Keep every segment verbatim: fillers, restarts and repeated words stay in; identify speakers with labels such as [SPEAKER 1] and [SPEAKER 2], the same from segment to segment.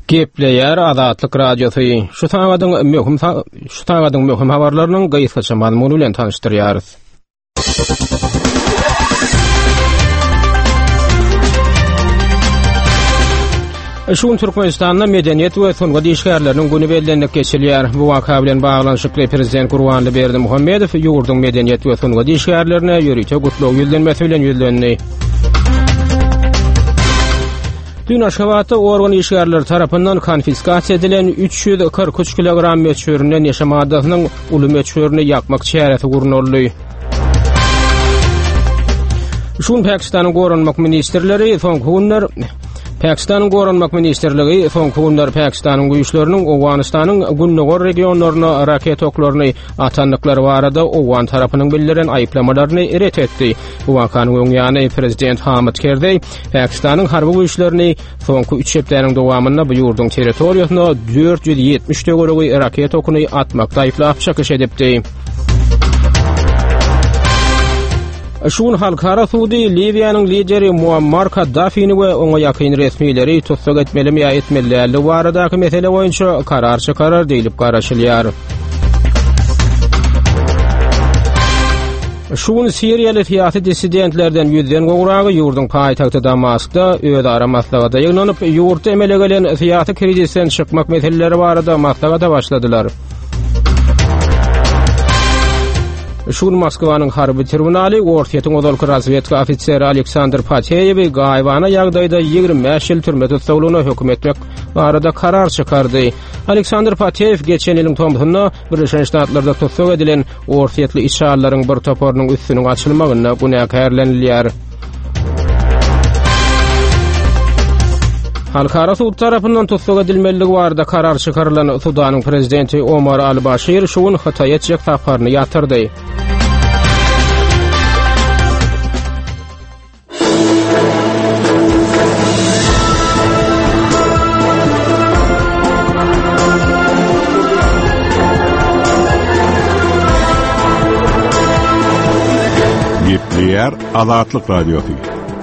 [SPEAKER 1] Gepleýär Azatlyk Radiosy. Şu sagadyň möhüm şu sagadyň möhüm habarlarynyň gysgaça mazmuny bilen tanyşdyrýarys. Şu gün Türkmenistanda Medeniýet we sungat işgärleriniň güni bellenilip geçilýär. Bu waka bilen baglanyşykly Prezident Gurbanguly Berdimuhamedow ýurduň medeniýet we sungat işgärlerine ýörite gutlag ýüzlenmesi bilen ýüzlendi. Dün Aşgabatda organ işgärleri tarapyndan konfiskasiýa edilen üç ýüz kyrk üç kilogram möçberinde neşe maddasynyň uly möçberini ýakmak çäresi gurnaldy. Şu gün Pakistanyň Goranmak ministrleri soňky günler Pakistanyň Goranmak ministrligi soňky günler Pakistanyň güýçleriniň Owganystanyň gündogar regionlaryna raket oklaryny atandyklary barada owgan tarapynyň bildiren aýyplamalaryny ret etdi. Bu wakanyň öň ýany prezident Hamid Kerzeý Pakistanyň harby güýçlerini soňky üç hepdäniň dowamynda bu ýurduň territoriýasyna dört ýüz ýetmiş töweregi raket okuny atmakda aýyplap çykyş edipdi. Şu gün halkara sudy Liwiýanyň lideri Muammar Kaddafini we oňa ýakyn resmileri tussag etmelimi ýa etmeli däldigi baradaky mesele boýunça karar çykarar diýlip garaşylýar. Şu gün siriýaly syýasy dissidentlerden ýüzden gowragy ýurduň paýtagty Damaskda özara maslahata ýygnanyp, ýurtda emele gelen syýasy krizisden çykmak meseleleri barada maslahata başladylar. Şu gün Moskwanyň harby tribunaly Orsýetiň ozalky razwedka ofiseri Aleksandr Pateýewi gaýybana ýagdaýda ýigrimi bäş ýyl türme tussaglygyna höküm etmek barada karar çykardy. Aleksandr Pateýew geçen ýylyň tomsunda Birleşen Ştatlarda tussag edilen orsýetli içalylaryň bir toparynyň üstüniň açylmagynda günäkärlenilýär. Halkara sud tarapyndan tussag edilmeliligi barada karar çykarylan Sudanyň prezidenti Omar al-Başir şu gün Hytaýa etjek saparyny ýatyrdy.
[SPEAKER 2] Gepleýär Azatlyk Radiosy.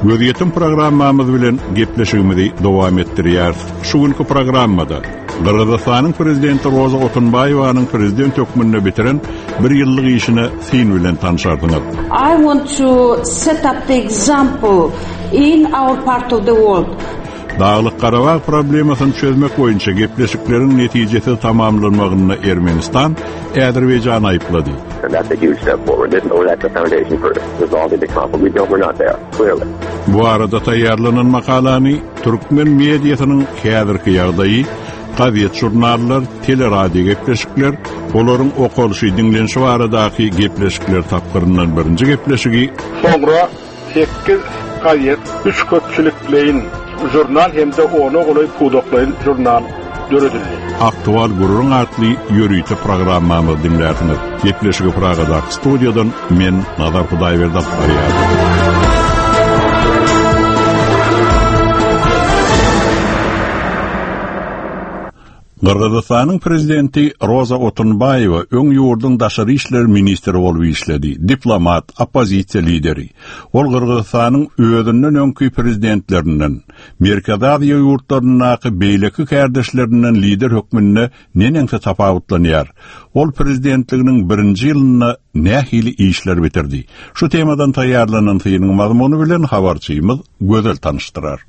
[SPEAKER 2] Gözýetim programmamyz bilen gepleşigimizi dowam etdirýäris. Şu günki programmada Gyrgyzystanyň prezidenti Roza Otunbaýewanyň prezident hökmünde bitiren bir ýyllyk işine syn bilen tanşarsyňyz.
[SPEAKER 3] I want to set up the example in our part of the world.
[SPEAKER 2] Daglyk-Garabag problemasyny çözmek boýunça gepleşikleriň netijesiz tamamlanmagynda Ermenistan Azerbaýjany aýyplady.
[SPEAKER 4] That's a huge step forward. This, or that's the foundation for resolving the conflict. We don't, we're not there, clearly.
[SPEAKER 2] Bu arada taýýarlanan makalany türkmen mediasynyň häzirki ýagdaýy, gazet žurnallar, teleradio gepleşikler, olaryň okalyşy, diňlenişi baradaky gepleşikler tapgyryndan birinji gepleşigi
[SPEAKER 5] Soňra sekiz gazet, üç köpçülikleýin žurnal hem-de ona golaý pudaklaýyn žurnal döredildi.
[SPEAKER 2] Aktual gürrüň atly ýörite programmamyzy diňlärsiňiz. Gepleşigi Pragadaky studiýadan men Nazar Hudaýberdi alyp barýaryn. Gyrgyzystanyň prezidenti Roza Otunbaýewa öň ýurduň daşary işler ministri bolup işledi, diplomat, oppozisiýa lideri. Ol Gyrgyzystanyň özünden öňki prezidentlerinden, Merkezi Aziýa ýurtlaryndaky beýleki kärdeşlerinden lider hökmünde neneňsi tapawutlanýar? Ol prezidentliginiň birinji ýylynda nähili işler bitirdi? Şu temadan taýýarlanan synyň mazmuny bilen habarçymyz Gözel tanyşdyrar.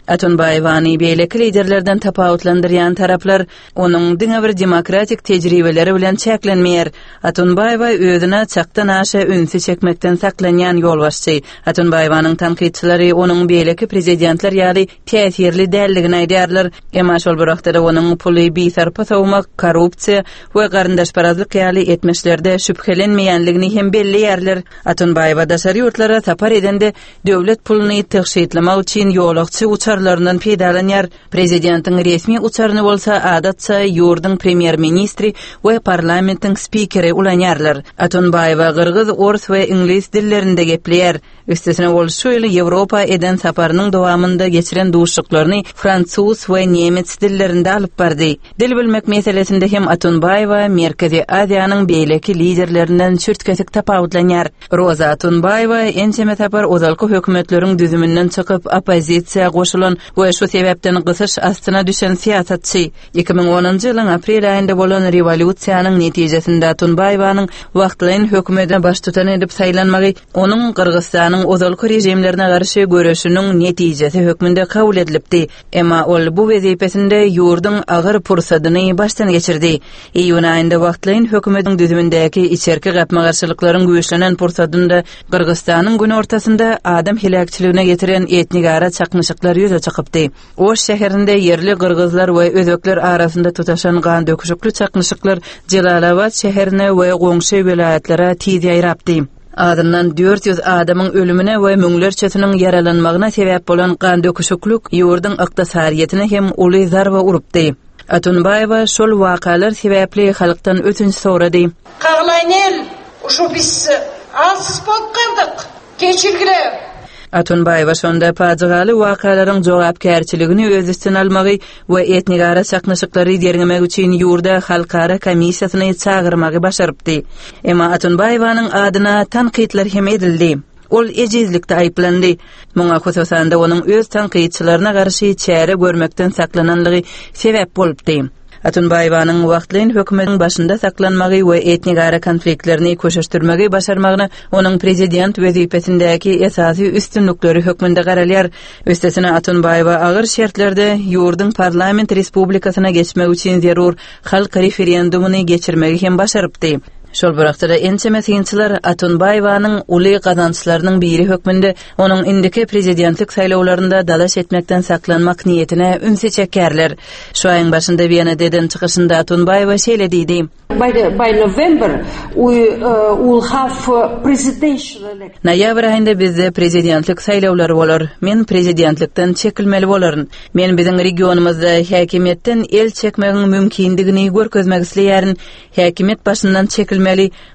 [SPEAKER 6] Otunbaýewany beýleki liderlerden tapawutlandyrýan taraplar onuň diňe bir demokratik tejribeleri bilen çäklenmeýär. Otunbaýewa özüne çakdan aşa ünsi çekmekden saklanýan ýolbaşçy. Otunbaýewanyň tankytçylary onuň beýleki prezidentler ýaly täsirli däldigini aýdýarlar. Emma şol bir wagtda onuň puly bisarpa sowmak, korrupsiýa we garyndaşparazlyk ýaly etmişlerde şübhelenmeýänligini hem belleýärler. Otunbaýewa daşary ýurtlara sapar edende döwlet puluny tygşytlamak üçin ýolagçy uçarlaryndan peýdalanýar. Prezidentiň resmi uçaryny bolsa adatça ýurduň premýer-ministri we parlamentiň spikeri ulanýarlar. Otunbaýewa gyrgyz, ors we iňlis dillerinde gepleýär. Üstesine ol şu ýyl Ýewropa eden saparynyň dowamynda geçiren duşuşyklaryny fransuz we nemets dillerinde alyp bardy. Dil bilmek meselesinde hem Otunbaýewa Merkezi Aziýanyň beýleki liderlerinden çürt-kesik tapawutlanýar. Roza Otunbaýewa ençeme sapar ozalky hökümetleriň düzüminden çykyp oppozisiýa goşulyp goşulan we şu sebäpden gysyş astyna düşen syýasatçy. iki müň onunjy ýylyň aprel aýynda bolan rewolýusiýanyň netijesinde Otunbaýewanyň wagtlaýyn hökümete baştutan edip saýlanmagy onuň Gyrgyzystanyň ozalky režimlerine garşy göreşiniň netijesi hökmünde kabul edilipdi. Emma ol bu wezipesinde ýurduň agyr pursadyny başdan geçirdi. Iýun aýynda wagtlaýyn hökümetiň düzümindäki içerki gapma-garşylyklaryň güýçlenen pursadynda Gyrgyzystanyň günortasynda adam heläkçiligine getiren etnigara çaknyşyklar ýüze çykypdy. Oş şäherinde ýerli gyrgyzlar we özbekler arasynda tutaşan gan döküşikli çaknyşyklar Jelalabad şäherine we goňşy welaýatlara tiz ýaýrapdy. Azyndan dört ýüz adamyň ölümine we müňlerçesiniň ýaralanmagyna sebäp bolan gan döküşiklik ýurduň ykdysadyýetine hem uly zarba urupdy. Otunbaýewa şol wakalar sebäpli halkdan ötünç sorady.
[SPEAKER 3] Kaglaýnel, şu biz alsyz bolup kaldyk. Geçirgile.
[SPEAKER 6] Otunbaýewa şonda pajygaly wakalaryň jogapkärçiligini öz üstüne almagy we etnigara çaknyşyklary derňemek üçin ýurda halkara komissiýasyny çagyrmagy başarypdy. Emma Otunbaýewanyň adyna tankytlar hem edildi. Ol ejizlikde aýyplandy. Muňa hususan-da onuň öz tankytçylaryna garşy çäre görmekden saklananlygy sebäp bolupdy. Otunbaýewanyň wagtlaýyn hökümetiň başynda saklanmagy we etnigara konfliktlerini köşeşdirmegi başarmagyna onuň prezident wezipesindäki esasy üstünlikleri hökmünde garalýar. Üstesine Otunbaýewa agyr şertlerde ýurduň parlament respublikasyna geçmek üçin zerur halk referendumyny geçirmegi hem başarypdy. Şol bir wagtda ençeme synçylar Otunbaýewanyň uly gazançlarynyň biri hökmünde onuň indiki prezidentlik saýlawlarynda dalaş etmekden saklanmak niýetine ünsi çekerler. Şu aýyň başynda Wenada eden çykyşynda Otunbaýewa şeýle diýdi.
[SPEAKER 3] By the, by November we uh, will have uh, presidential election.
[SPEAKER 6] Noýabr aýynda bizde prezidentlik saýlawlary bolar. Men prezidentlikden çekilmeli bolaryn. Men biziň regionymyzda häkimiýetden el çekmegiň mümkindigini görkezmek isleýärin. Häkimiýet başyndan çekilmeli.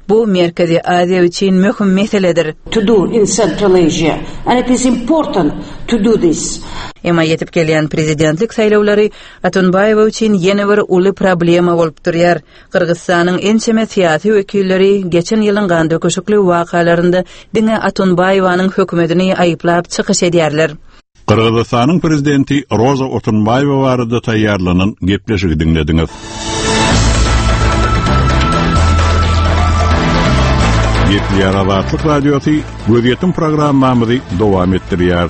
[SPEAKER 6] Bu Merkezi Aziýa üçin möhüm meseledir.
[SPEAKER 3] To do in Central Asia, and it is important to do this.
[SPEAKER 6] Emma ýetip gelýän prezidentlik saýlawlary Otunbaýewa üçin ýene bir uly problema bolup durýar. Gyrgyzystanyň ençeme syýasy wekilleri geçen ýylyň gan döküşikli wakalarynda diňe Otunbaýewanyň hökümetini aýyplap çykyş edýärler.
[SPEAKER 2] Gyrgyzystanyň prezidenti Roza Otunbaýewa barada taýýarlanan gepleşigi diňlediňiz. Gepleýär Azatlyk Radiosy gözýetim programmamyzy dowam etdirýär.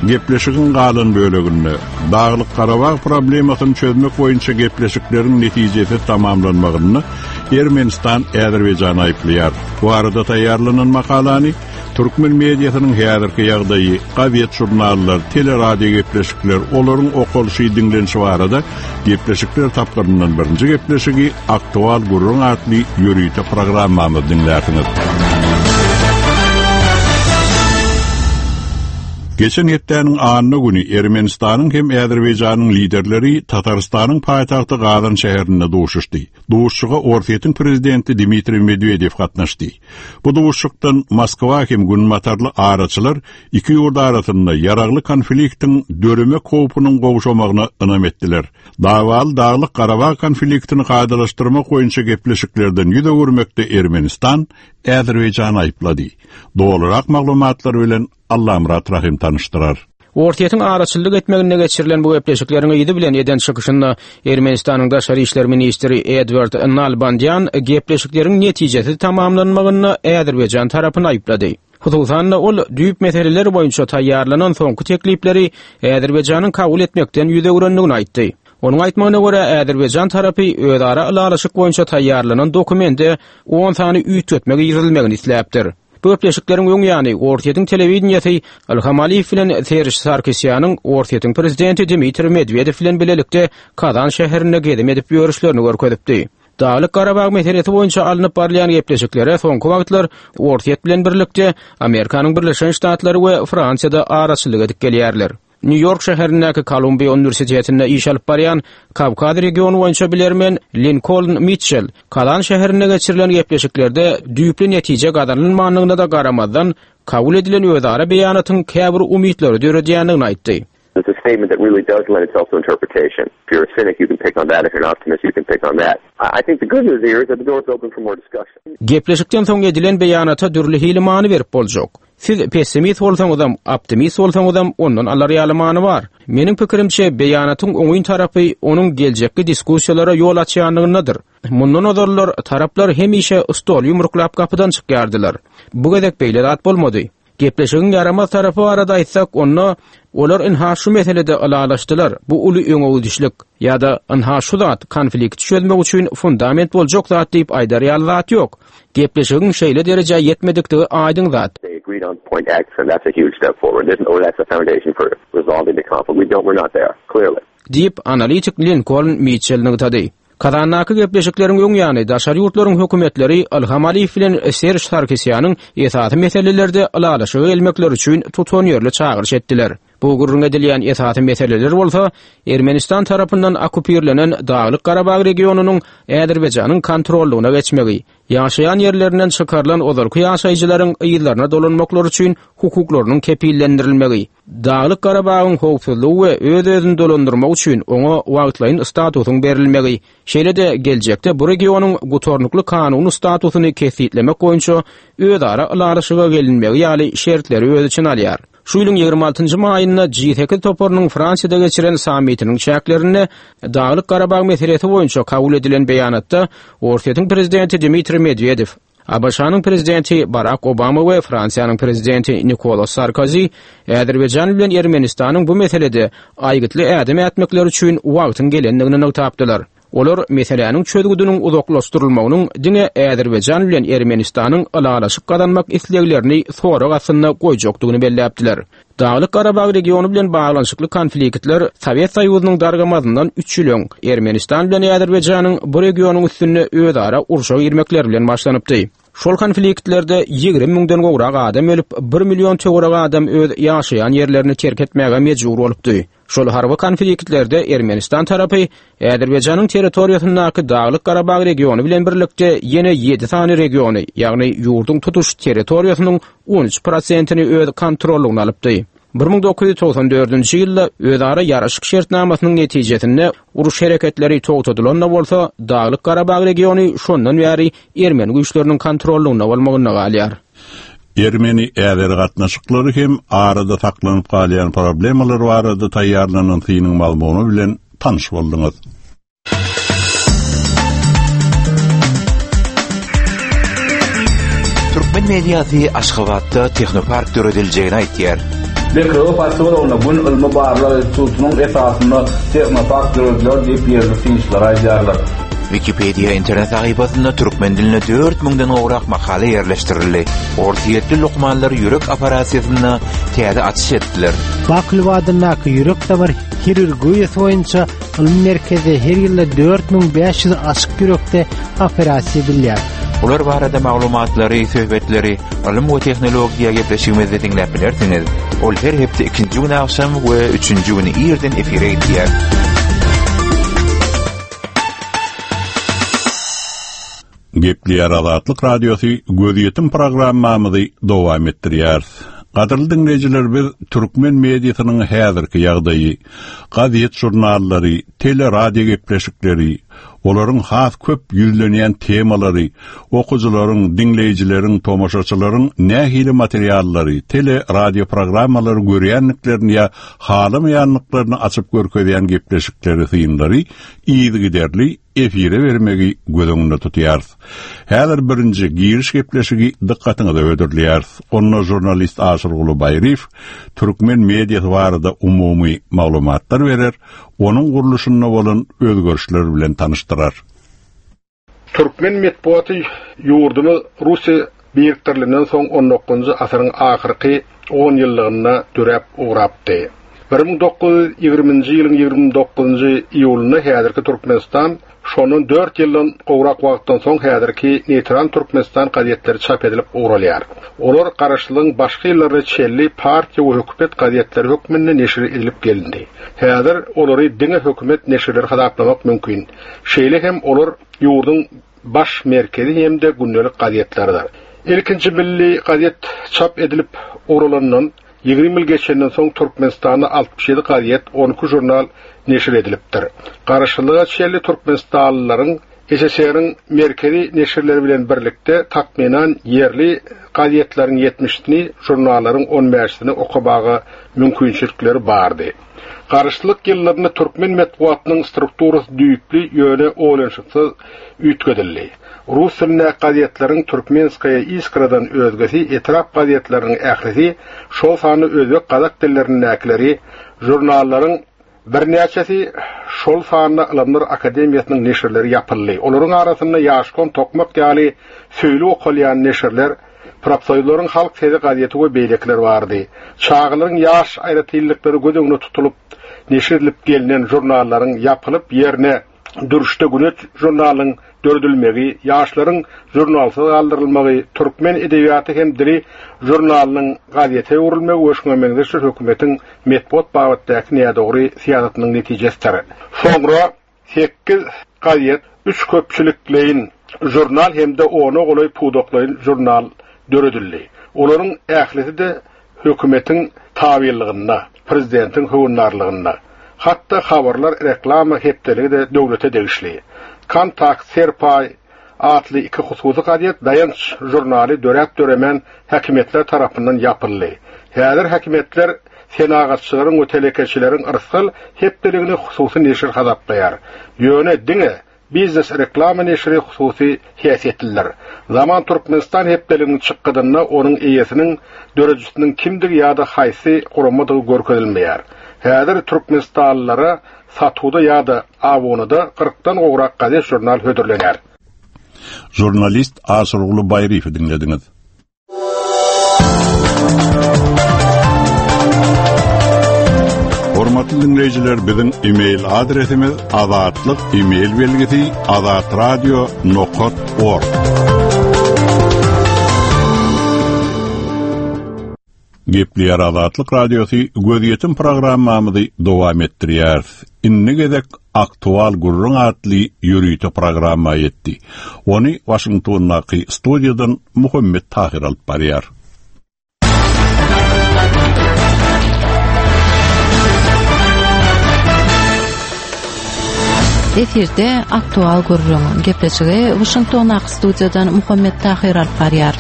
[SPEAKER 2] Gepleşigiň galan böleginde Daglyk Garabag problemasyny çözmek boýunça gepleşikleriň netijesi tamamlanmagyny Ermenistan Azerbaýjany aýyplaýar. Bu arada taýýarlanan makalany Türkmen mediasynyň häzirki ýagdaýy, gazet jurnallar, teleradio gepleşikler, olaryň okalyşy diňlenişi barada gepleşikler tapgyryndan birinji gepleşigi Aktual Gürrüň atly ýörite programmamyz diňlärsiňiz. Geçen hepdäniň anna güni Ermenistanyň hem Azerbaýjanyň liderleri Tatarystanyň paýtagty Gazan şäherinde duşuşdy. Duşuşyga Orsýetiň prezidenti Dmitriý Medwedew gatnaşdy. Bu duşuşykdan Moskwa hem günbatarly araçylar iki ýurt arasynda ýaragly konfliktiň döremek howpunyň gowşamagyna ynam etdiler. Dawal Daglyk Garabag konfliktini kadalaşdyrmak boýunça gepleşiklerden ýüz öwürmekde Ermenistan Azerbaýjany aýyplady. Dolurak maglumatlar bilen Allamyrat Rahim tanyşdyrar.
[SPEAKER 1] Orsýetiň araçylyk etmeginde geçirilen bu gepleşikleriň ýedi bilen eden çykyşynda Ermenistanyň daşary işler ministri Edward Nalbandyan gepleşikleriň netijesi tamamlanmagynda Azerbaýjan tarapyny aýyplady. Hususan-da ol düýp meseleler boýunça taýýarlanan soňky teklipleri Azerbaýjanyň kabul etmekden ýüz öwrendigini aýtdy. Onuň aýtmagyna görä Azerbaýjan tarapy özara ylalaşyk boýunça taýýarlanan dokumente on sany üýtgetme girizilmegini isläpdir. Bu gepleşikleriň öň ýany Orsýetiň telewideniýesi Ilham Aliýew bilen Serj Sarkisýanyň Orsýetiň prezidenti Dmitriý Medwedew bilen bilelikde Kazan şäherinde gezim edip ýörüşlerini görkezipdi. Daglyk Garabag meselesi boýunça alnyp barylýan gepleşiklere soňky wagtlar Orsýet bilen birlikde Amerikanyň Birleşen Ştatlary we Fransiýada araçylyk edip gelýärler. New York şäherindäki Kolumbiýa Uniwersitetinde iş alyp barýan Kawkaz regiony boýunça bilermen Lincoln Mitchell Kazan şäherinde geçirilen gepleşiklerde düýpli netije gazanylmandygyna da garamazdan kabul edilen özara beýanatyň käbir umytlary döredýändigini aýtdy.
[SPEAKER 4] It's a statement that really does lend itself to interpretation. If you're a cynic, you can pick on that. If you're an optimist, you can pick on that. I think the good news here is that the door is open for more discussion.
[SPEAKER 1] Gepleşikden soň edilen beýanata dürli hili many berip boljak. Siz pessimist bolsaňyzam, optimist bolsaňyzam ondan alar ýaly many bar. Meniň pikirimçe beýanatyň oňyn tarapy onuň geljekki diskussiýalara ýol açýanlygyndadyr. Mundan ozallar taraplar hemişe stol ýumruklap gapydan çykýardylar. Bu gezek beýle zat bolmady. Gepleşigiň ýaramaz tarapy barada aýtsak, onda olar ynha şu meselede ylalaşdylar. Bu uly öňegidişlik ýa-da ynha şu zat konflikt çözmek üçin fundament boljak zat diýip aýdar ýaly zat ýok. Gepleşigiň şeýle derejä ýetmedikdigi aýdyň zat.
[SPEAKER 4] They agreed on point X, and that's a huge step forward. There's, or that's a foundation for resolving the conflict. We don't, we're not there, clearly.
[SPEAKER 1] Diýip analitik Lincoln Mitchell nygtady. Kazandaky gepleşikleriň öň ýany daşary ýurtlaryň hökümetleri Ilham Aliýew bilen Serj Sarkisýanyň esasy meselelerde ylalaşyga gelmekleri üçin tutanýerli çagyryş etdiler. Bu gürrüň edilýän esasy meseleler bolsa Ermenistan tarapyndan okupirlenen Daglyk Garabag regionynyň Azerbaýjanyň kontrollygyna geçmegi, ýaşaýan ýerlerinden çykarylan ozalky ýaşaýjylaryň yzlaryna dolanmaklary üçin hukuklarynyň kepillendirilmegi, Daglyk Garabagyň howpsuzlygy we öz-özüni dolandyrmak üçin oňa wagtlaýyn statusyň berilmegi, şeýle-de geljekde bu regionyň gutarnykly kanuny statusyny kesgitlemek boýunça özara ylalaşyga gelinmegi ýaly şertleri öz içine alýar. Şu ýylyň ýigrimi altynjy maýynda G sekiz toparynyň Fransiýada geçiren sammitiniň çäklerinde Daglyk Garabag meselesi boýunça kabul edilen beýanatda Orsýetiň prezidenti Dmitriý Medwedew, ABŞ-nyň prezidenti Barack Obama we Fransiýanyň prezidenti Nikolas Sarkozy Azerbaýjan bilen Ermenistanyň bu meselede aýgytly ädim ätmekleri üçin wagtyň gelendigini nygtapdylar. Olar meseläniň çözgüdiniň uzaklaşdyrylmagynyň diňe Azerbaýjan bilen Ermenistanyň ylalaşyk gazanmak isleglerini sorag astynda goýjakdygyny belläpdiler. Daglyk Garabag regiony bilen baglanyşykly konfliktler Sowet Soýuzynyň dargamazyndan üç ýyl öň Ermenistan bilen Azerbaýjanyň bu regionyň üstünde özara urşa girmekleri bilen başlanypdy. Şol konfliktlerde ýigrimi müňden gowrak adam ölüp, bir million töwerek adam öz ýaşaýan ýerlerini terk etmäge mejbur bolupdy. Şol harby konfliktlerde Ermenistan tarapy Azerbaýjanyň territoriýasyndaky Daglyk Garabag regiony bilen birlikde ýene ýedi sany regiony, ýagny ýurduň tutuş territoriýasynyň on üç prosentini öz kontrollygyna alypdy. bir müň dokuz ýüz togsan dördünji ýylda özara ýaraşyk şertnamasynyň netijesinde uruş hereketleri togtadylan bolsa, Daglyk Garabag regiony şondan bäri ermeni güýçleriniň kontrollygynda bolmagynda galýar.
[SPEAKER 2] Ermeni-Äzer gatnaşyklary hem arada saklanyp galýan problemalar barada taýýarlanan synyň mazmuny bilen tanyş bolduňyz.
[SPEAKER 7] Türkmen mediasy Aşgabatda tehnopark dörediljegini aýtýar.
[SPEAKER 8] Bekrewe posýologynda Gün ylmy barlag institutynyň esasynda tehnopark dörediler diýip ýerli synçylar aýdýarlar.
[SPEAKER 7] Wikipedia internet sahypasynda türkmen diline dört müňden gowrak makala ýerleşdirildi. Orsýetli lukmanlar ýürek operasiýasynda täze açyş etdiler.
[SPEAKER 9] Baklywadyndaky ýürek damar hirurgiýasy boýunça ylmy merkezde her ýylda dört müň bäş ýüz açyk ýürekde operasiýa edilýär.
[SPEAKER 7] Bular barada maglumatlary, söhbetleri, ylym we tehnologiýa gepleşigimizde diňläp bilersiňiz. Ol her hepde ikinji gün akşam we üçünji gün irden efire gidýär.
[SPEAKER 2] Gepleýär Azatlyk Radiosy gözýetim programmamyzy dowam etdirýär. Gadyrly dinleýjiler, biz türkmen mediasynyň häzirki ýagdaýy, gazet jurnallary, teleradio gepleşikleri, olaryň has köp ýüzlenýän temalary, okyjylaryň, dinleýjileriň, tomaşaçylaryň nähili materiallary, teleradio programmalary görýänliklerini ýa halamaýanlyklaryny açyp görkezýän gepleşikleri, synlary yzygiderli efire bermegi göz öňünde tutýarys. Häzir birinji giriş gepleşigi dykgatyňyza hödürleýäris. Onda jurnalist Aşyrguly Baýryýew türkmen mediasy barada umumy maglumatlar berer, onuň gurluşynda bolan özgerişler bilen tanyşdyrar.
[SPEAKER 5] Türkmen metbuaty ýurdumyz Russiýa birikdirilenden soň on dokuzynjy asyryň ahyrky on ýyllygynda döräp ugrapdy. bir müň dokuz ýüz ýigriminji ýylyň ýigrimi dokuzynjy iýulynda häzirki Türkmenistan şondan dört ýyldan gowrak wagtdan soň häzirki Neýtral Türkmenistan gazetleri çap edilip ugralýar. Olar garaşsyzlygyň başky ýyllaryna çenli partiýa we hökümet gazetleri hökmünde neşir edilip gelindi. Häzir olary diňe hökümet neşirleri hasaplamak mümkin. Şeýle hem olar ýurduň baş merkezi hem-de gündelik gazetleridir. Ilkinji milli gazet çap edilip ugralandan ýigrimi ýyl geçenden soň Türkmenistanda altmyş ýedi gazet, on iki jurnal neşir edilipdir. Garaşsyzlyga çenli Türkmenistanlylaryň S S R-iň merkezi neşirleri bilen birlikde takmynan ýerli gazetleriň ýetmişini, žurnallaryň on bäşisini okamaga mümkinçilikleri bardy. Garaşsyzlyk ýyllarynda türkmen metbugatynyň strukturasy düýpli, ýöne oýlanyşyksyz üýtgedildi. Rus dilindäki gazetleriň Türkmenskaya Iskradan özgesi etrap gazetleriniň ählisi, şol sanda özbek, gazak dillerindäkileri, žurnallaryň birnäçesi, şol sanda Ylymlar Akademiýasynyň neşirleri ýapyldy. Olaryň arasynda Ýaşkon, Tokmak ýaly söýli okalýan neşirler, Profsoýuzlaryň Halk sesi gazeti we beýlekiler bardy. Çagalaryň ýaş aýratynlyklary göz öňünde tutulyp neşir edilip gelnen žurnallaryň ýapylyp, ýerine Dürüşde Güneş žurnalynyň döredilmegi, ýaşlaryň žurnalsyz galdyrylmagy, Türkmen edebiýaty hem dili žurnalynyň gazete öwrülmegi we şuňa meňzeş hökümetiň metbugat babatdaky nädogry syýasatynyň netijesidir. Soňra sekiz gazet, üç köpçülikleýin žurnal hem-de ona golaý pudaklaýyn žurnal döredildi. Olaryň ählisi-de hökümetiň tabylygynda, prezidentiň höwündarlygynda. Hatda habarlar reklama hepdeligi de döwlete degişli. Kontakt, Serpay atly iki hususy gazet, Daýanç žurnaly döräp döremän häkimiýetler tarapyndan ýapyldy. Häzir häkimiýetler senagatçylaryň we telekeçileriň Yrsgal hepdeligini hususy neşir hasaplaýar. Ýöne diňe Biznes reklama neşiri hususy häsiýetlidir. Zaman Türkmenistan hepdeliginiň çykgydynda onuň eýesiniň, döredijisiniň kimdigi ýa-da haýsy guramadygy görkezilmeýär. Häzir Türkmenistanlylara satuwda ýa-da abunada kyrkdan gowrak gazet, žurnal hödürlenýär.
[SPEAKER 2] Žurnalist Aşyrguly Baýryýewi diňlediňiz. Hormatly dinleýjiler, biziň e-mail adresimiz azatlyk e-mail belgisi azatradio nokta org. Gepleýär Azatlyk Radiosy, gözýetim programmamyzy dowam etdirýäris. Indi gezek Aktual gürrüň atly ýörite programma ýetdi. Ony Washingtondaky studiýadan Muhammet Tahir alyp barýar.
[SPEAKER 10] Efirde Aktual gürrüň gepleşigi Washingtondaky studiýadan Muhammet Tahir alyp barýar.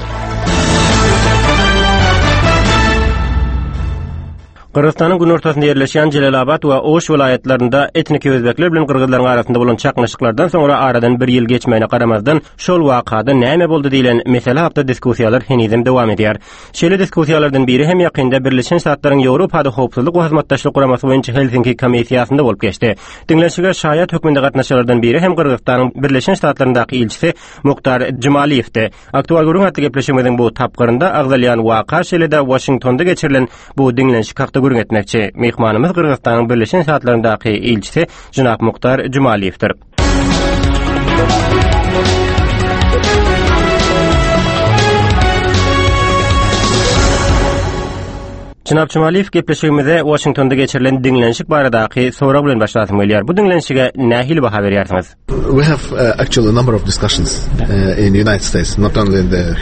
[SPEAKER 11] Gyrgyzystanyň günortasynda ýerleşýän Jelalabat we Oş welaýatlarynda etniki özbekler bilen gyrgyzlaryň arasynda bolan çaknyşyklardan soňra aradan bir ýyl geçmegine garamazdan, şol wakada näme boldy diýlen mesele hakda diskussiýalar henizem dowam edýär. Şeýle diskussiýalardan biri hem ýakynda Birleşen Ştatlaryň Ýewropada Howpsuzlyk we Hyzmatdaşlyk Guramasy boýunça Helsinki komissiýasynda bolup geçdi. Diňlenişige şaýat hökmünde gatnaşanlardan biri hem Gyrgyzystanyň Birleşen Ştatlaryndaky ilçisi Muktar Jumaliýewdi. Aktual gürrüň atly gepleşigimiziň bu tapgyrynda agzalýan waka, şeýle-de Washingtonda geçirilen bu diňlenişik hakda gürrüň etmekçi. Myhmanymyz Gyrgyzystanyň Birleşen Ştatlaryndaky ilçisi Jenap Muktar Jumaliýewdir. Jenap Jumaliýew, gepleşigimize Washingtonda geçirilen diňlenişik baradaky sorag bilen başlasym gelýär. Bu diňlenişige nähili baha berýärsiňiz?
[SPEAKER 12] We have uh, actually a number of discussions uh, in the United States, not only in the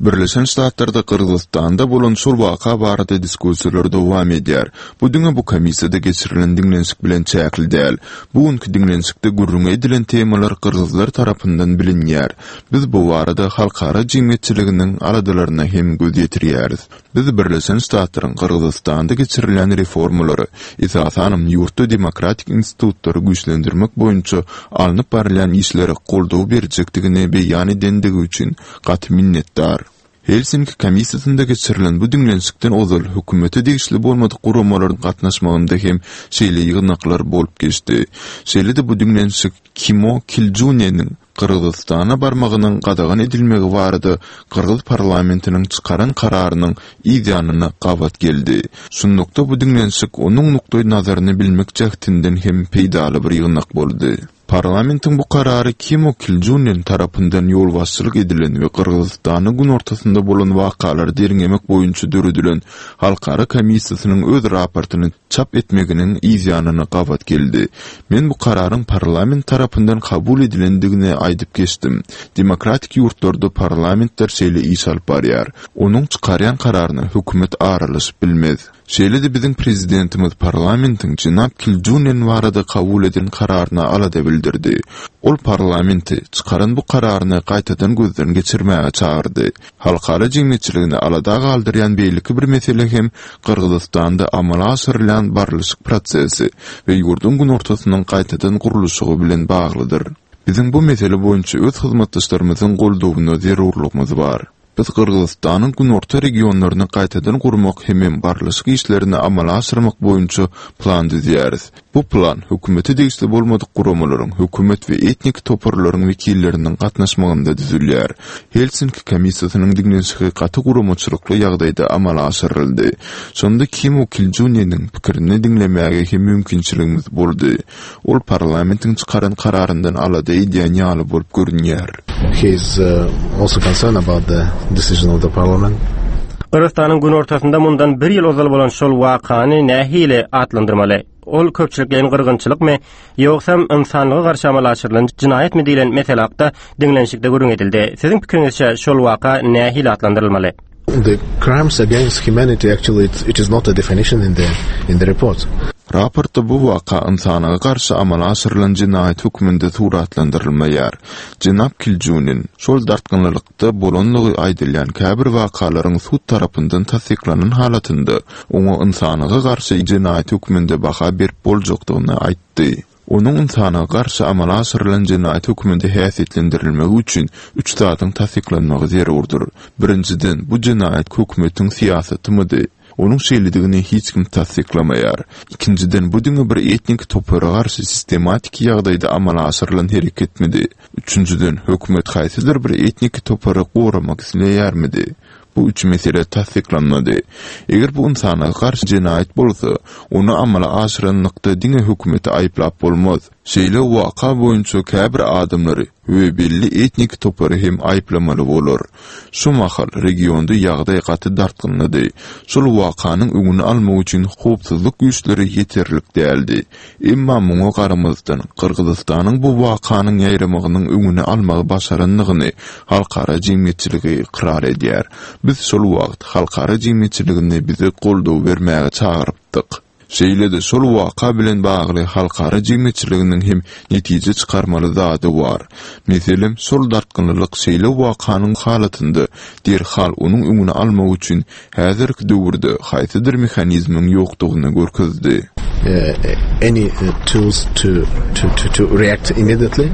[SPEAKER 13] Birleşen Ştatlarda Gyrgyzystanda bolan şol waka barada diskussiýalar dowam edýär. Bu diňe bu komissiýada geçirilen diňlenişik bilen çäkli däl. Bu günki diňlenişikde gürrüň edilen temalar gyrgyzlar tarapyndan bilinýär. Biz bu barada halkara jemgyýetçiliginiň aladalaryna hem göz ýetirýäris. Biz Birleşen Ştatlaryň Gyrgyzystanda geçirilýän reformalary, esasanam ýurtda demokratik institutlary güýçlendirmek boýunça alnyp barylýan işlere goldaw berjekdigini beýan edendigi üçin gaty minnetdar. Helsinki komissiýasynda geçirilen bu diňlenişikden ozal hökümete degişli bolmadyk guramalaryň gatnaşmagynda hem şeýle ýygnaklar bolup geçdi. Şeýle-de bu diňlenişik Kimo Kiljuneniň Gyrgyzystana barmagynyň gadagan edilmegi barada Gyrgyz parlamentiniň çykaran kararynyň yz ýanyna gabat geldi. Şunlukda bu diňlenişik onuň nukdaý nazaryny bilmek jähtinden hem peýdaly bir ýygnak boldy. Parlamentiň bu karary Kimo Kiljunen tarapyndan ýolbaşçylyk edilen we Gyrgyzystanyň günortasynda bolan wakalary derňemek boýunça döredilen halkara komissiýasynyň öz raportyny çap etmeginiň yz ýanyna gabat geldi. Men bu kararyň parlament tarapyndan kabul edilendigini aýdyp geçdim. Demokratik ýurtlarda parlamentler şeýle iş alyp barýar. Onuň çykarýan kararyna hökümet aralaşyp bilmez. Şeýle-de biziň prezidentimiz parlamentiň jenap Kiljunen barada kabul eden kararyna alada bildirdi. Ol parlamenti çykaran bu kararyny gaýtadan gözden geçirmäge çagyrdy. Halkara jemgyýetçiligini alada galdyrýan beýleki bir mesele hem Gyrgyzystanda amala aşyrylýan barlyşyk prosesi we ýurduň günortasynyň gaýtadan gurluşygy bilen baglydyr. Biziň bu mesele boýunça öz hyzmatdaşlarymyzyň goldawyna zerurlygymyz bar. Biz Gyrgyzystanyň günorta regionlaryny gaýtadan gurmak hemem barlyşyk işlerini amala aşyrmak boýunça plan düzýäris. Bu plan hökümete degişli bolmadyk guramalaryň, hökümet we etnik toparlaryň wekilleriniň gatnaşmagynda düzülýär. Helsinki komissiýasynyň diňlenişigi gaty guramaçylykly ýagdaýda amala aşyryldy. Şonda Kimo Kiljuneniň pikirini diňlemäge hem mümkinçiligimiz boldy. Ol parlamentiň çykaran kararyndan alada edýän ýaly bolup görünýär.
[SPEAKER 12] He is uh, also concerned about the decision of the parliament.
[SPEAKER 11] Gyrgyzystanyň günortasynda mundan bir ýyl ozal bolan şol wakany nähili atlandyrmaly? Ol köpçülikleýin gyrgynçylykmy, ýogsam ynsanlyga garşy amala aşyrylan jinaýatmy diýlen mesele hakda diňlenişikde gürrüň edildi. Siziň pikiriňizçe şol waka nähili atlandyrylmaly?
[SPEAKER 12] The crimes against humanity actually it, it is not a definition in the in the report.
[SPEAKER 13] Raportda bu waka ynsana garşy amala aşyrylan jinaýat hökmünde suratlandyrylmaýar. Jenap Kiljunin şol dartgynlylykda bolanlygy aýdylýan käbir wakalaryň sud tarapyndan tassyklanan halatynda oňa ynsana garşy jinaýat hökmünde baha berip boljakdygyny aýtdy. Onuň ynsana garşy amala aşyrylan jinaýat hökmünde häsiýetlendirilmegi üçin üç zadyň tassyklanmagy zerurdyr. Birinjiden, bu jinaýat hökümetiň syýasatymydy. Onuň şeýledigini hiç kim tassyklamaýar. Ikinjiden, bu diňe bir etnik topara garşy sistematik ýagdaýda amala aşyrylan hereketmidi. Üçünjiden, hökümet haýsydyr bir etnik topary goramak isleýärmidi? Bu üç mesele tassyklanmady. Eger bu ynsana garşy jinaýat bolsa, ony amala aşyranlykda diňe hökümeti aýyplap bolmaz. Şeýle waka boýunça käbir adamlary we belli etnik topary hem aýyplamaly bolar. Şu mahal regionda ýagdaý gaty dartgynlydy. Şol wakanyň öňüni almak üçin howpsuzlyk güýçleri ýeterlik däldi. Emma muňa garamazdan Gyrgyzystanyň bu wakanyň ýaýramagynyň öňüni almagy başarandygyny halkara jemgyýetçiligi ykrar edýär. Biz şol wagt halkara jemgyýetçiligini bize goldaw bermäge çagyrypdyk. Şeýle-de şol waka bilen bagly halkara jemgyýetçiliginiň hem netije çykarmaly zady bar. Meselem, şol dartgynlylyk şeýle wakanyň halatynda derhal onuň öňüni almak üçin häzirki döwürde haýsydyr mehanizmiň ýokdugyny görkezdi.
[SPEAKER 12] Uh, any uh, tools to, to, to, to react immediately.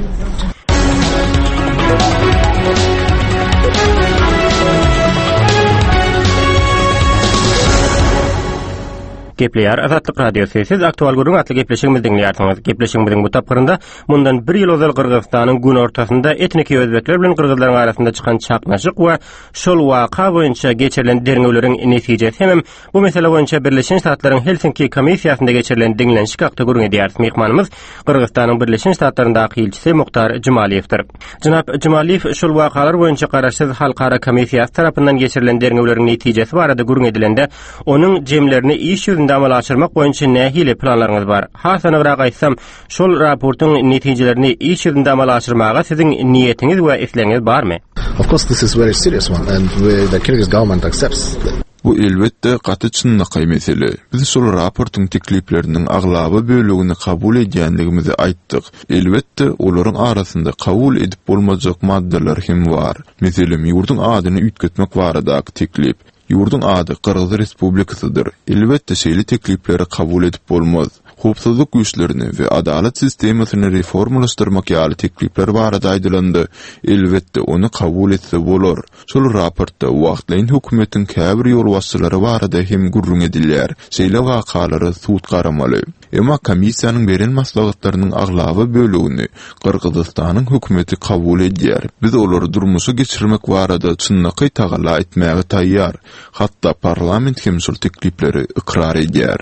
[SPEAKER 11] Gepleýär Azatlyk Radiosy. Siz aktual gürrüň atly gepleşigimizi diňleýärsiňiz. Gepleşigimiziň bu tapgyrynda mundan bir ýyl ozal Gyrgyzystanyň günortasynda etniki özbekler bilen gyrgyzlaryň arasynda çykan çaknyşyk we şol waka boýunça geçirilen derňewleriň netijesi hemem bu mesele boýunça Birleşen Ştatlaryň Helsinki komissiýasynda geçirilen diňlenişik hakda gürrüň edýäris. Myhmanymyz Gyrgyzystanyň Birleşen Ştatlaryndaky ilçisi Muhtar Jumaliýewdir. Jenap Jumaliýew şol wakalar boýunça garaşsyz halkara komissiýasy tarapyndan geçirilen derňewleriň netijesi barada gürrüň edilende, onuň jemlerini iş ýüzünde amala aşyrmak boýunça nähili planlaryňyz bar? Has anygrak aýtsam, şol raportyň netijelerini iş ýüzünde amala aşyrmaga siziň niýetiňiz we islegiňiz barmy?
[SPEAKER 12] Of course, this is very serious one, and we, the Kyrgyz government accepts that.
[SPEAKER 13] Bu elbetde gaty çynlakaý mesele. Biz şol raportyň teklipleriniň aglaba bölegini kabul edýänligimizi aýtdyk. Elbetde, olaryň arasynda kabul edip bolmajak maddalar hem bar. Meselem, ýurduň adyny üýtgetmek baradaky teklip. Ýurduň ady Gyrgyz Respublikasydyr. Elbetde şeýle teklipleri kabul edip bolmaz. Howpsuzlyk güýçlerini we adalat sistemasyny reformalaşdyrmak ýaly teklipler barada aýdylanda, elbetde ony kabul etse bolar. Şol raportda wagtlaýyn hökümetiň käbir ýolbaşçylary barada hem gürrüň edilýär. Şeýle wakalara sud garamaly. Emma komissiýanyň beren maslahatlarynyň aglaba bölegini Gyrgyzystanyň hökümeti kabul edýär. Biz olary durmuşa geçirmek barada çynlakaý tagalla etmäge taýýar. Hatda parlament hem şol teklipleri ykrar edýär.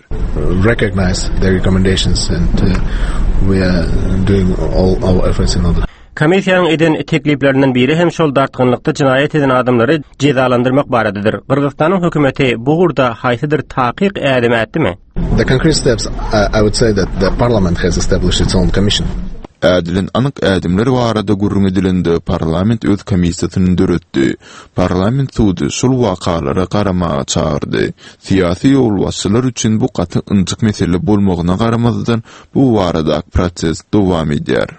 [SPEAKER 12] Recognize the recommendations and uh, we are doing all our efforts in order.
[SPEAKER 11] Komissiýanyň eden tekliplerinden biri hem şol dartgynlykda jinaýat eden adamlary jezalandyrmak baradadyr. Gyrgyzystanyň hökümeti bu ugurda haýsydyr takyk ädim ätdimi?
[SPEAKER 12] The concrete steps, uh, I would say that the parliament has established its own commission.
[SPEAKER 13] Ädilen anyk ädimler barada gürrüň edilende parlament öz komissiýasyny döretdi. Parlament sudy şol wakalara garamaga çagyrdy. Syýasy ýolbaşçylar üçin bu gaty ynjyk mesele bolmagyna garamazdan bu baradaky proses dowam edýär.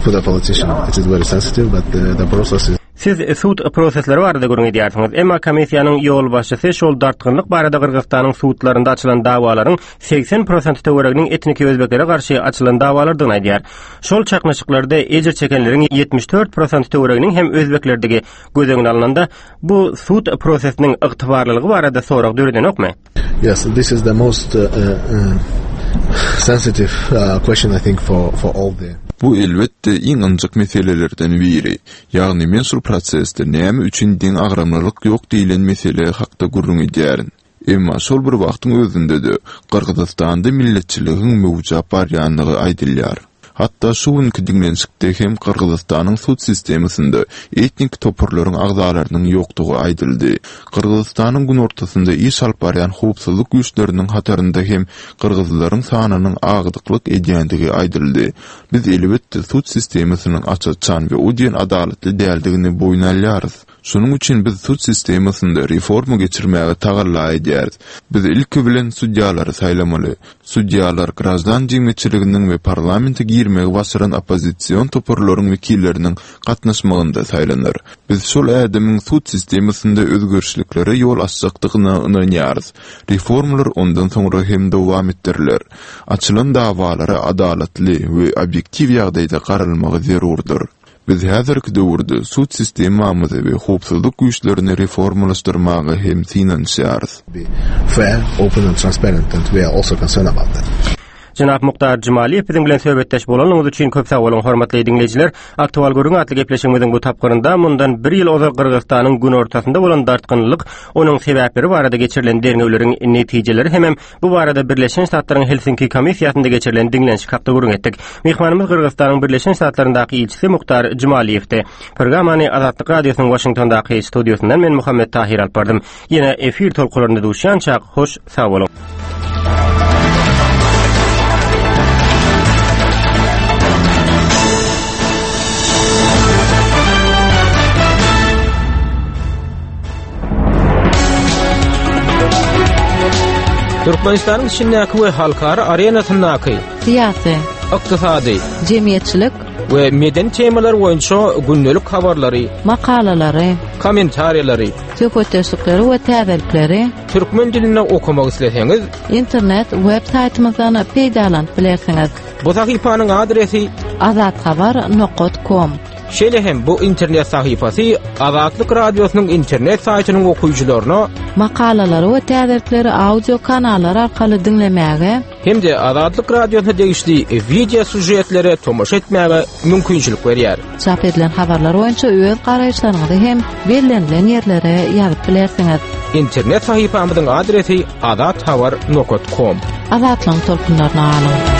[SPEAKER 12] For the politician, it is very sensitive, but the, the process is
[SPEAKER 11] Siz sud prosesleri barada gürrüň edýärsiňiz. Emma komissiýanyň ýolbaşçysy şol dartgynlyk barada Gyrgyzystanyň sudlarynda açylan dawalaryň segsen prosent töwereginiň etniki özbeklere garşy açylan dawalardygyny aýdýar. Şol çaknyşyklarda ejir çekenleriň ýetmiş dört prosent töwereginiň hem özbeklerdigi göz öňüne alnanda, bu sud prosesiniň ygtybarlylygy barada sorag döredenokmy?
[SPEAKER 12] Yes, this is the most, uh, uh, sensitive, uh, question I think for, for all the
[SPEAKER 13] Bu elbetde iň ynjyk meselelerden biri. Ýagny men şol prosesde näme üçin deň agramlylyk ýok diýilen mesele hakda gürrüň edýärin. Emma şol bir wagtyň özünde-de Gyrgyzystanda milletçiligiň möwjap barýanlygy aýdylýar. Hatda şu günki diňlenişikde hem Gyrgyzystanyň sud sistemasynda etnik toparlaryň agzalarynyň ýokdugy aýdyldy. Gyrgyzystanyň günortasynda iş alyp barýan howpsuzlyk güýçleriniň hatarynda hem gyrgyzlaryň sanynyň agdyklyk edýändigi aýdyldy. Biz elbetde sud sistemasynyň aç-açan we o diýen adalatly däldigini boýun alýarys. Şonuň üçin biz sud sistemasynda reforma geçirmäge tagalla edýäris. Biz ilki bilen sudýalary saýlamaly. Sudýalar grajdan jemgyýetçiliginiň we parlamente girmegi başaran oppozision toparlaryň wekilleriniň gatnaşmagynda saýlanar. Biz şol ädimiň sud sistemasynda özgerişliklere ýol açjakdygyna ynanýarys. Reformalar ondan soňra hem dowam etdiriler. Açylan dawalara adalatly we obýektiw ýagdaýda garalmagy zerurdyr. Biz häzirki döwürde sud sistemamyzy we howpsuzlyk güýçlerini reformalaşdyrmaga hem synanyşýarys.
[SPEAKER 12] Fair, open and transparent, and we are also concerned about that.
[SPEAKER 11] Jenap Muhtar Jumaliýew biziň bilen söhbetdeş bolanyňyz üçin köp sag boluň, hormatly diňleýjiler. Aktual gürrüň atly gepleşigimiziň bu tapgyrynda mundan bir ýyl ozal Gyrgyzystanyň günortasynda bolan dartgynlyk, onuň sebäpleri barada geçirilen derňewleriň netijeleri hemem bu barada Birleşen Ştatlaryň Helsinki komissiýasynda geçirilen diňlenişik hakda gürrüň etdik. Myhmanymyz Gyrgyzystanyň Birleşen Ştatlaryndaky ilçisi Muhtar Jumaliýewdi. Programmany Azatlyk Radiosynyň Washingtondaky studiýasyndan men Muhammet Tahir alyp bardym. Ýene efir tolkunlarynda duşýançak hoş sag boluň.
[SPEAKER 1] Türkmenistanyň içindäki we halkara arenasyndaky
[SPEAKER 10] syýasy,
[SPEAKER 1] ykdysady,
[SPEAKER 10] jemgyýetçilik
[SPEAKER 1] we medeni temalar boýunça gündelik habarlary,
[SPEAKER 10] makalalary,
[SPEAKER 1] kommentariýalary,
[SPEAKER 10] söhbetdeşlikleri we täzelikleri
[SPEAKER 1] türkmen dilinde okamak isleseňiz,
[SPEAKER 10] internet web saýtymyzdan peýdalanyp bilersiňiz.
[SPEAKER 1] Bu sahypanyň adresi
[SPEAKER 10] azathabar nokta com.
[SPEAKER 1] Şeýle hem bu internet sahypasy Azatlyk Radiosynyň internet saýtynyň okyjylaryna
[SPEAKER 10] makalalary we täzelikleri audio kanallar arkaly diňlemäge
[SPEAKER 1] hem-de Azatlyk Radiosyna degişli video süžetlere tomaşa etmäge mümkinçilik berýär.
[SPEAKER 10] Çap edilen habarlar boýunça öz garaýyşlaryňyzy hem bellenilen ýerlere ýazyp bilersiňiz.
[SPEAKER 1] Internet sahypamyzyň adresi azathabar nokta com.
[SPEAKER 10] Azatlygyň tolkunlaryna alyň.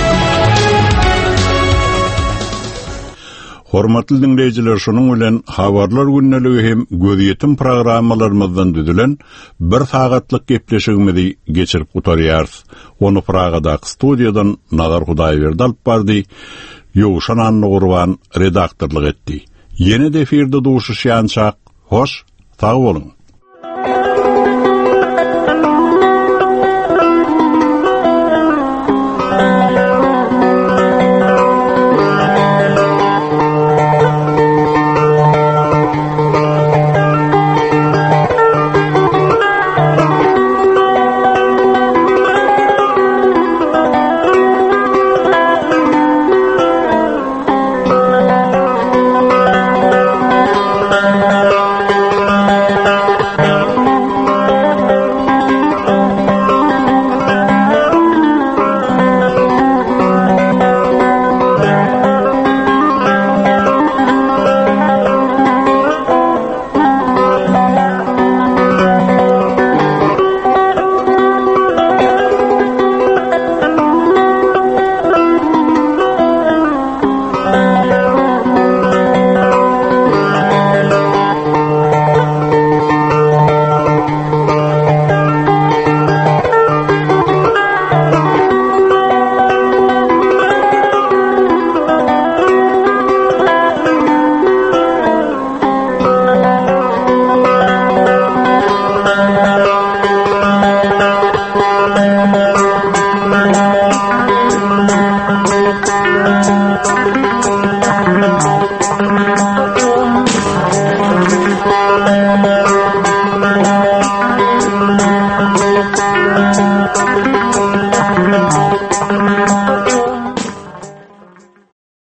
[SPEAKER 2] Hormatly dinleýjiler, şonuň bilen habarlar gündeligi hem gözýetim programmalarymyzdan düzülen bir sagatlyk gepleşigimizi geçirip gutarýarys. Ony Pragadaky studiýadan Nazar Hudaýberdi alyp bardy, Ýowşan Annagurban redaktorlyk etdi. Ýene de efirde duşuşýançak, hoş, sag boluň.